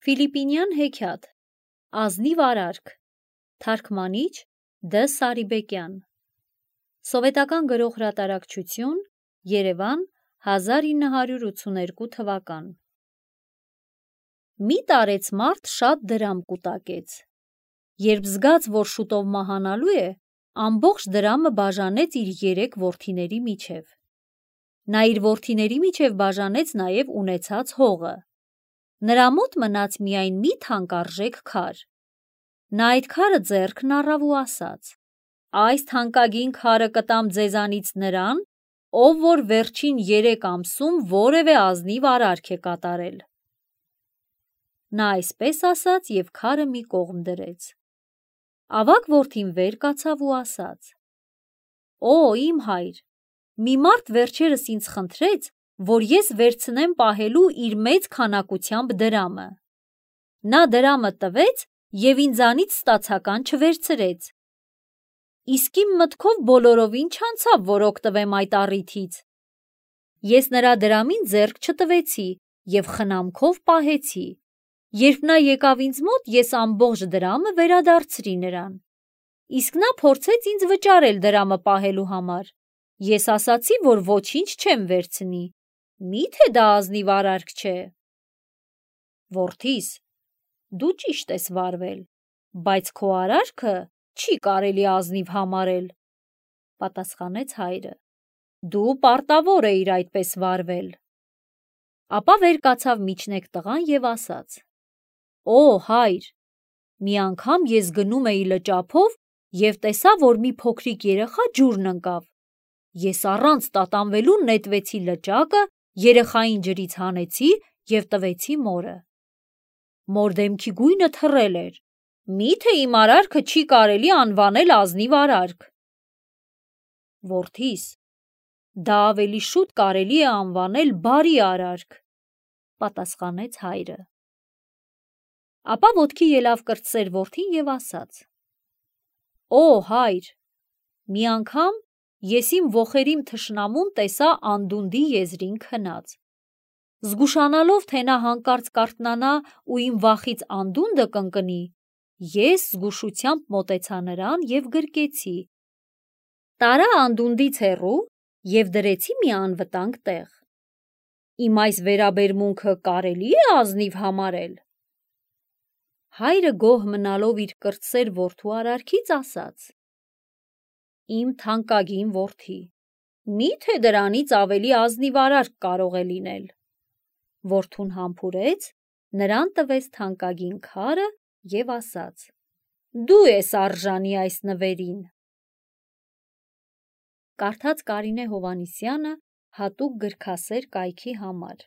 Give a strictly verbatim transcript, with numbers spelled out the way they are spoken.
Ֆիլիպինյան հեքիաթ, ազնիվ արարք, թարգմանիչ Դ. Սարիբեկյան, Սովետական գրող հրատարակչություն, Երևան, հազար ինը հարյուր ութսուներկու թվական։ Մի տարեց մարդ շատ դրամ կուտակեց։ Երբ զգաց, որ շուտով մահանալու է, ամբողջ դրամը բաժանեց իր երեք որդիների միջև։ Նա իր որդիների միջև բաժանեց նաև ունեցած հողը։ Նրա մոտ մնաց միայն մի թանկարժեք քար։ Նա այդ քարը ձեռքն առավ ու ասաց. «Այս թանկագին քարը կտամ ձեզանից նրան, ով որ վերջին երեք ամսում որևէ ազնիվ արարք է կատարել»։ Նա այսպես ասաց և քարը մի կողմ դրեց։ Ավագ որդին վեր կացավ ու ասաց. «Օ, իմ հայր, մի մարդ վերջերս ինձ խնդրեց, որ ես վերցնեմ պահելու իր մեծ քանակությամբ դրամը։ Նա դրամը տվեց և ինձանից ստացական չվերցրեց։ Իսկ իմ մտքով բոլորովին չանցավ, որ օգտվեմ այդ առիթից։ Ես նրա դրամին ձեռք չտվեցի և խնամքով պահեցի։ Երբ նա եկավ ինձ մոտ, ես ամբողջ դրամը վերադարձրի նրան։ Իսկ նա փորձեց ինձ վճարել դրամը պահելու համար։ Ես ասացի, որ ոչինչ չեմ վերցնի։ Մի՞թե դա ազնիվ արարք չէ»։ Որդիս, դու ճիշտ ես վարվել, բայց քո արարքը չի կարելի ազնիվ համարել, պատասխանեց հայրը։ Դու պարտավոր էիր այդպես վարվել։ Ապա վեր կացավ միջնեկ տղան և ասաց. «Օ, հայր, մի անգամ ես գնում էի լճափով և տեսա, որ մի փոքրիկ երեխա ջուրն ընկավ։ Ես առանց տատանվելու նետվեցի լճակը, երեխային ջրից հանեցի և տվեցի մորը։ Մոր դեմքի գույնը թռել էր։ Մի՞թե իմ արարքը չի կարելի անվանել ազնիվ արարք»։ Որդիս, դա ավելի շուտ կարելի է անվանել բարի արարք, պատասխանեց հայրը։ Ապա ոտքի ելավ կրտսեր որդին և ասաց. «Օ, հայր, մի անգամ ես իմ ոխերիմ թշնամուն տեսա անդունդի եզրին քնած։ Զգուշանալով, թե նա հանկարծ կարթնանա ու իմ վախից անդունդը կընկնի, ես զգուշությամբ մոտեցա նրան և գրկեցի։ Տարա անդունդից հեռու և դրեցի մի անվտանգ տեղ։ Իմ այս վերաբերմունքը կարելի՞ է ազնիվ համարել»։ Հայրը գոհ մնալով իր կրտսեր որդու արարքից ասաց. «Իմ թանկագին որդի, մի՞թե դրանից ավելի ազնիվ արարք կարող է լինել»։ Որդուն համբուրեց, նրան տվեց թանկագին քարը և ասաց. «Դու ես արժանի այս նվերին»։ Կարդաց Կարինե Հովհաննիսյանը հատուկ գրքասեր կայքի համար։